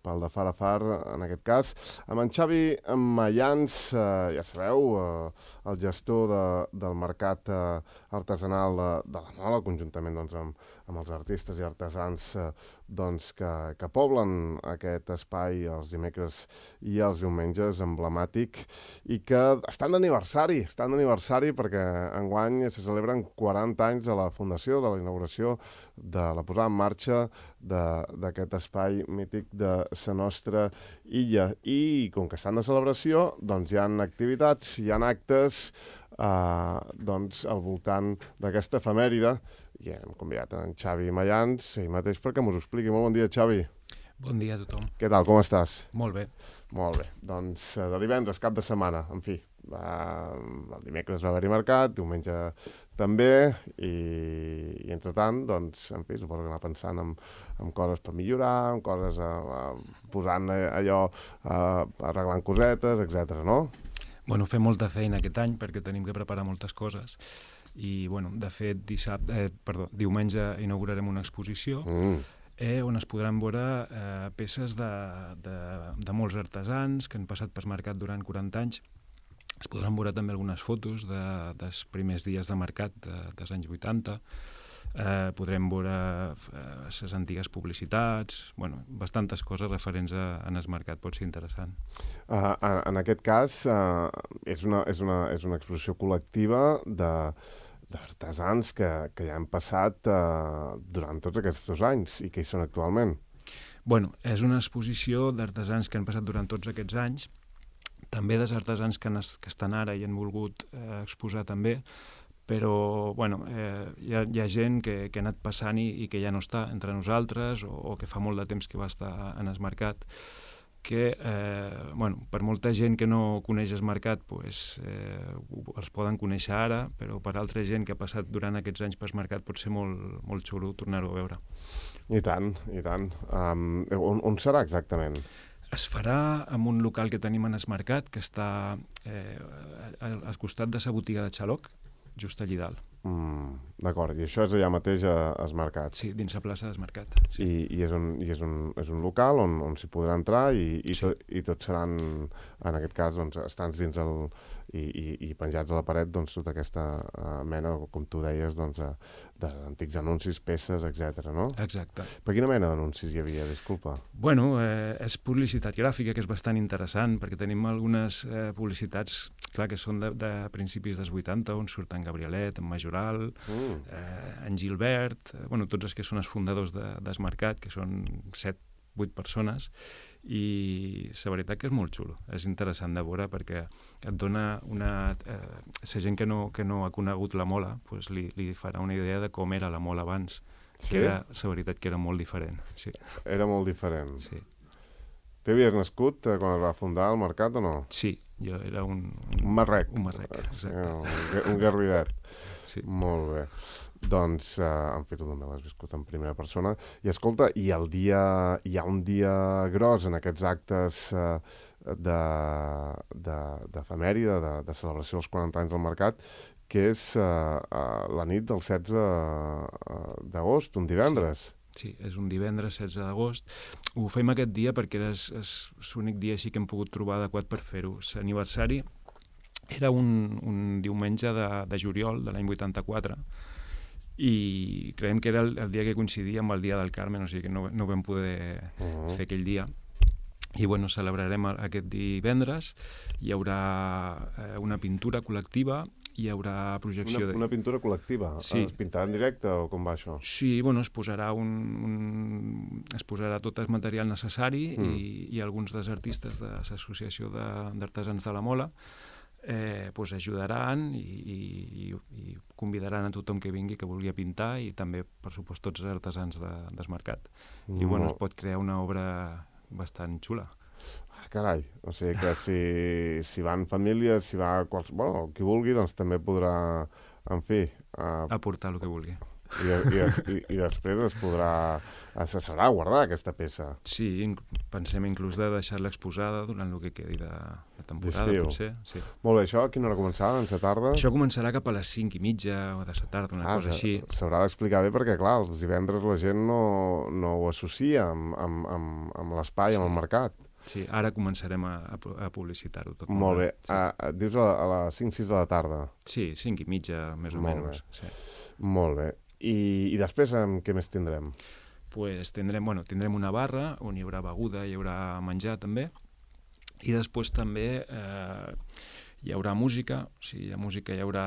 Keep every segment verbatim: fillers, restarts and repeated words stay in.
pel de far a far, en aquest cas, amb en Xavi Mayans, eh, ja sabeu, eh, el gestor de, del mercat eh, artesanal de, de la Mola, conjuntament doncs, amb, amb els artistes i artesans eh, doncs, que, que poblen aquest espai els dimecres i els diumenges, emblemàtic, i que estan d'aniversari, estan d'aniversari perquè enguany se celebren quaranta anys de la fundació, de la inauguració, de la posada en marxa d'aquest espai mític de la nostra illa. I com que estan de celebració, doncs hi ha activitats, hi ha actes eh, doncs, al voltant d'aquesta efemèride. I hem convidat en Xavi Mayans, ell mateix, perquè mos ho expliqui. Molt bon dia, Xavi. Bon dia a tothom. Què tal, com estàs? Molt bé. Molt bé. Doncs de divendres, cap de setmana, en fi. Va, el dimecres va haver-hi mercat, diumenge també, i, i entre tant, doncs, en fi, suposo que anar pensant en, en coses per millorar, en coses a, a, posant allò, a, arreglant cosetes, etcètera, no? Bueno, fem molta feina aquest any perquè tenim que preparar moltes coses i, bueno, de fet, dissabte, eh, perdó, diumenge inaugurarem una exposició mm. eh, on es podran veure eh, peces de, de, de molts artesans que han passat per mercat durant quaranta anys. Es podran veure també algunes fotos de, dels primers dies de mercat de, dels anys vuitanta. Eh, podrem veure les eh, antigues publicitats, bueno, bastantes coses referents a, a el mercat, pot ser interessant. Uh, en, en aquest cas, uh, és, una, és, una, és una exposició col·lectiva de d'artesans que, que ja han passat uh, durant tots aquests dos anys i que hi són actualment. Bueno, és una exposició d'artesans que han passat durant tots aquests anys, també dels artesans que, han, que estan ara i han volgut eh, exposar també, però bueno, eh, hi, ha, hi ha gent que, que ha anat passant i, i que ja no està entre nosaltres o, o que fa molt de temps que va estar en el mercat, que eh, bueno, per molta gent que no coneix el mercat pues, eh, els poden conèixer ara, però per altra gent que ha passat durant aquests anys pel mercat pot ser molt, molt xulo tornar-ho a veure. I tant, i tant. Um, on, on serà exactament? Es farà en un local que tenim en el mercat, que està eh, al, al costat de la botiga de Xaloc, just allí dalt. Mm, D'acord, i això és allà mateix al mercat? Sí, dins la plaça del mercat. Sí. I, i, és, un, i és, un, és un local on, on s'hi podrà entrar i, i, sí. to, i tots seran, en aquest cas, doncs, estants dins el... I, i, i penjats a la paret, doncs, tota aquesta uh, mena, com tu deies, doncs, d'antics anuncis, peces, etcètera, no? Exacte. Per quina mena d'anuncis hi havia, disculpa? Bueno, eh, és publicitat gràfica, que és bastant interessant, perquè tenim algunes eh, publicitats, clar, que són de, de principis dels vuitanta, on surten Gabrielet, en Majoral, mm. eh, en Gilbert, eh, bueno, tots els que són els fundadors de, del mercat, que són set, vuit persones, i la veritat que és molt xulo, és interessant de veure perquè et dona una... Eh, la gent que no, que no ha conegut la Mola pues li, li farà una idea de com era la Mola abans, sí? Que era, la veritat que era molt diferent. Sí. Era molt diferent? Sí. T'havies nascut eh, quan es va fundar el mercat o no? Sí, jo era un... Un, un marrec. Un marrec, exacte. Un, un garridet. Sí. Molt bé. Doncs, eh, en fi, tu també l'has viscut en primera persona. I escolta, i el dia, hi ha un dia gros en aquests actes eh, d'efemèride, de, de, de celebració dels quaranta anys del mercat, que és eh, eh, la nit del setze d'agost, un divendres. Sí. Sí, és un divendres setze d'agost. Ho fem aquest dia perquè era l'únic dia així que hem pogut trobar adequat per fer-ho. L'aniversari era un, un diumenge de, de juliol de l'any vuitanta-quatre i creiem que era el, el dia que coincidia amb el dia del Carmen, o sigui que no, no vam poder uh-huh. fer aquell dia. I bueno, celebrarem aquest divendres, hi haurà eh, una pintura col·lectiva, hi haurà projecció... Una, de... una pintura col·lectiva? Sí. Es pintarà en directe o com va això? Sí, bueno, es posarà, un, un, es posarà tot el material necessari mm. i, i alguns dels artistes de l'Associació d'Artesans de, de la Mola eh, pues ajudaran i, i, i convidaran a tothom que vingui que vulgui pintar i també, per supost, tots els artesans de, del mercat. Mm. I bueno, es pot crear una obra bastant xula. Ah, carai, o sigui que si, si van famílies, si va quals... bueno, qui vulgui, doncs també podrà, en fi... Uh, aportar el que vulgui. I, i, i, i després es podrà... Se serà guardar aquesta peça. Sí, inc pensem inclús de deixar-la exposada durant el que quedi de, de temporada, potser. Sí. Molt bé, això a quina hora començarà? En la tarda? Això començarà cap a les cinc i mitja o de la tarda, una ah, cosa així. S'haurà d'explicar bé perquè, clar, els divendres la gent no, no ho associa amb, amb, amb, amb l'espai, sí. amb el mercat. Sí, ara començarem a, a publicitar-ho tot. Molt bé. Sí. A, a, dius a, a les cinc sis de la tarda? Sí, cinc i mitja, més o Molt menys. Sí. Molt bé. I, i després, amb què més tindrem? Pues tindrem, bueno, tindrem una barra on hi haurà beguda, hi haurà menjar també, i després també eh, hi haurà música, o sigui, hi ha música, hi haurà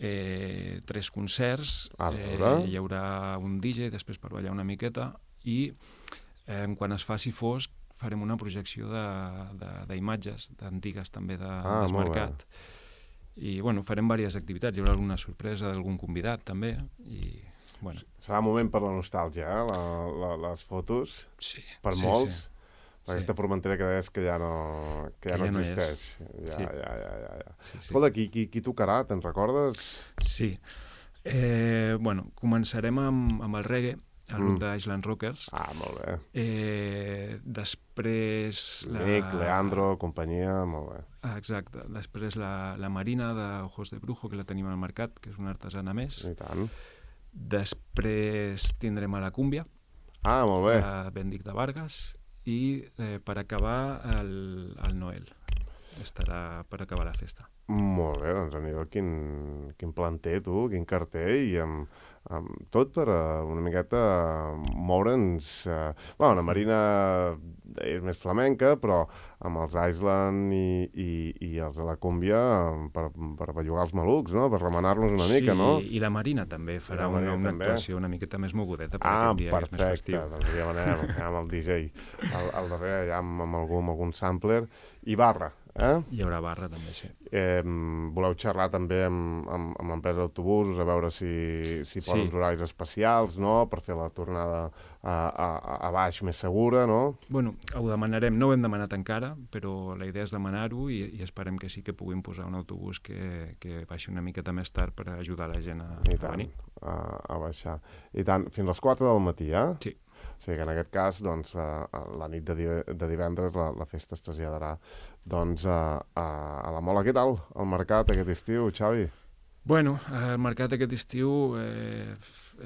eh, tres concerts, eh, hi haurà un D J després per ballar una miqueta, i eh, quan es faci fosc farem una projecció d'imatges, d'antigues també de, ah, del mercat. I bueno, farem diverses activitats, hi haurà alguna sorpresa d'algun convidat també, i... Bueno. Serà un moment per la nostàlgia, eh? la, la, les fotos, sí, per sí, molts. Sí. Aquesta sí. Formentera que deies que ja no, que ja que no ja existeix. No ja, sí. ja, ja, ja, ja. Sí, sí. Escolta, qui, qui, qui tocarà? Te'n recordes? Sí. Eh, bueno, començarem amb, amb el reggae, el grup mm. d'Island Rockers. Ah, molt bé. Eh, després... La... Nick, Leandro, companyia, molt bé. Ah, exacte. Després la, la Marina de Ojos de Brujo, que la tenim al mercat, que és una artesana més. I tant. Després tindrem a la Cúmbia, ah, molt bé. de Bendic de Vargas, i eh, per acabar el, el Noel. Estarà per acabar la festa. Molt bé, doncs aniré quin, quin planter, tu, quin carter, i amb, amb tot per uh, una miqueta moure'ns... Uh, bueno, la Marina és més flamenca, però amb els Island i, i, i els de la Cúmbia per, per bellugar els malucs, no? Per remenar-los una sí, mica, no? Sí, i la Marina també farà una, Marina una també. actuació una miqueta més mogudeta per ah, aquest dia, perfecte. És més festiu. Ah, perfecte, doncs ja anem, ja amb el D J. Al, al darrere ja amb, amb, algun, amb algun sampler. I barra, eh? Hi haurà barra també, sí. Eh, voleu xerrar també amb, amb, amb l'empresa d'autobusos a veure si, si posen Sí. uns horaris especials, no?, per fer la tornada a, a, a baix més segura, no? Bueno, ho demanarem, no ho hem demanat encara, però la idea és demanar-ho i, i esperem que sí que puguin posar un autobús que, que baixi una miqueta més tard per ajudar la gent a, I a tant, venir. a, a baixar. I tant, fins a les quatre del matí, eh? Sí. O sigui que en aquest cas, doncs, a, a la nit de, di de divendres la, la festa es traslladarà doncs, a, a, a la Mola. Què tal el mercat aquest estiu, Xavi? Bueno, el mercat aquest estiu eh,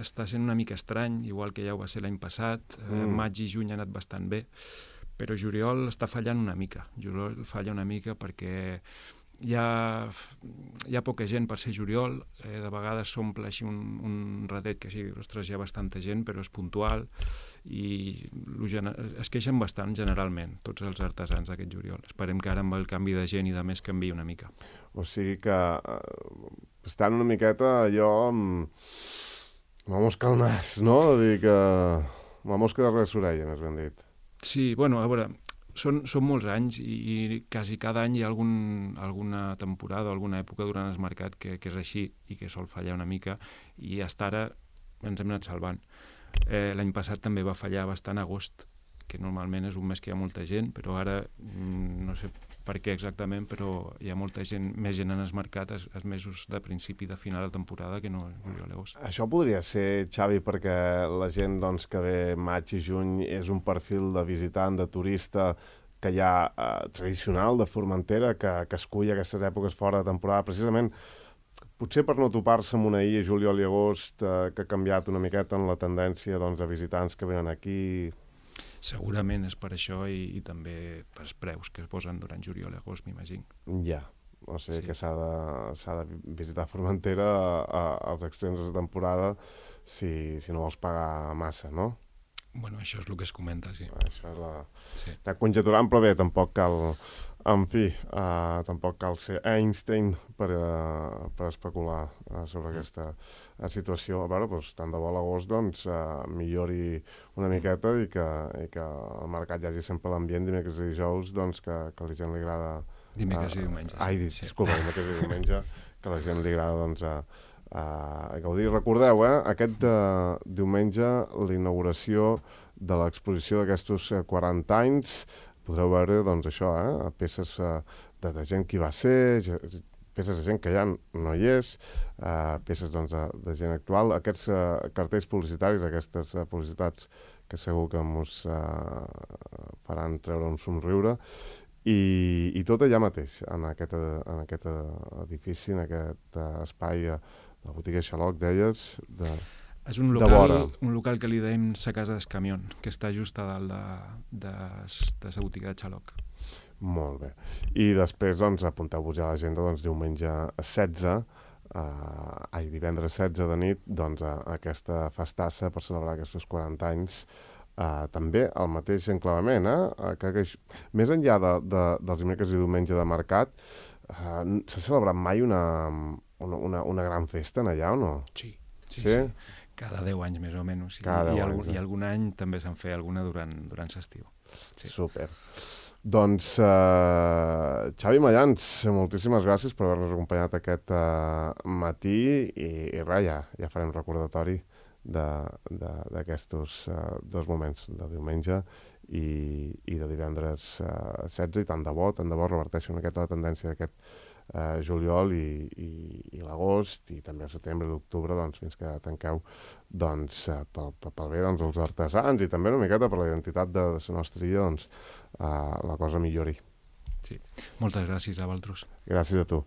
està sent una mica estrany, igual que ja ho va ser l'any passat. Mm. Eh, maig i juny ha anat bastant bé, però juliol està fallant una mica. Juliol falla una mica perquè hi ha, hi ha poca gent per ser juliol, eh, de vegades s'omple així un, un ratet que sí, ostres, hi ha bastanta gent, però és puntual, i es queixen bastant generalment, tots els artesans d'aquest juliol. Esperem que ara amb el canvi de gent i de més canviï una mica. O sigui que eh, estan una miqueta allò amb, amb la mosca al nas, no? De dir que la mosca de res orella, més ben dit. Sí, bueno, a veure, són, són molts anys i, i quasi cada any hi ha algun, alguna temporada o alguna època durant el mercat que, que és així i que sol fallar una mica, i fins ara ens hem anat salvant. Eh, L'any passat també va fallar bastant agost, que normalment és un mes que hi ha molta gent, però ara no sé per què exactament, però hi ha molta gent, més gent en el mercat els, els mesos de principi i de final de temporada que no juliol i agost. Això podria ser, Xavi, perquè la gent doncs, que ve maig i juny és un perfil de visitant, de turista que hi ha eh, tradicional de Formentera, que, que escull aquestes èpoques fora de temporada, precisament potser per no topar-se amb una I, juliol i agost, eh, que ha canviat una miqueta en la tendència doncs, de visitants que venen aquí. Segurament és per això i, i també pels preus que es posen durant juliol i agost, m'imagino. Ja, o sigui Sí. que s'ha de, s'ha de visitar Formentera a, a, als extrems de temporada si, si no vols pagar massa, no? Bueno, això és el que es comenta, sí. Això és la... Sí. Està conjeturant, però bé, tampoc cal... En fi, uh, tampoc cal ser Einstein per, uh, per especular uh, sobre aquesta uh, situació. A veure, doncs, tant de bo a l'agost doncs, uh, millori una miqueta i que, i que el mercat hi hagi sempre l'ambient dimecres i dijous, doncs, que, que a la gent li agrada... Dimecres uh, i diumenge. Sí. Ai, sí. disculpa, dimecres i diumenge, que a la gent li agrada, doncs, a, a gaudir. Recordeu, eh, aquest uh, diumenge, la inauguració de l'exposició d'aquestos uh, quaranta anys. Podreu veure, doncs, això, eh? Peces uh, de, de gent que hi va ser, peces de gent que ja no hi és, uh, peces doncs, de, de gent actual, aquests uh, cartells publicitaris, aquestes uh, publicitats que segur que ens uh, faran treure un somriure, i, i tot allà mateix, en aquest, en aquest edifici, en aquest uh, espai, uh, la botiga Xaloc, deies, de... És un local, un local que li deim sa casa d'Escamion, que està just a dalt de, de, de sa botiga de Xaloc. Molt bé. I després, doncs, apunteu-vos ja a l'agenda, doncs, diumenge setze, eh, ai, divendres setze de nit, doncs, a, a aquesta festassa per celebrar aquests quaranta anys, eh, també al mateix enclavament, eh? Que, que, més enllà de, de, dels dimecres i diumenge de mercat, eh, s'ha celebrat mai una, una, una, una gran festa en allà, o no? Sí, sí, sí. sí. Cada deu anys, més o menys. I, Cada i, deu algun, anys, eh? I algun any també se'n feia alguna durant, durant l'estiu. Sí. Super. Doncs, uh, Xavi Mayans, moltíssimes gràcies per haver-nos acompanyat aquest uh, matí i, i res, ja, ja farem recordatori d'aquests uh, dos moments, de diumenge i, i de divendres uh, setze, i tant de bo, tant de bo reverteixi una aquesta tendència d'aquest uh, juliol i, i, i l'agost, i també el setembre i l'octubre, doncs, fins que tanqueu, doncs, uh, pel, pel bé doncs, els artesans i també una miqueta per la identitat de, de la nostra illa, doncs, uh, la cosa millori. Sí. Moltes gràcies a vosaltres. Gràcies a tu.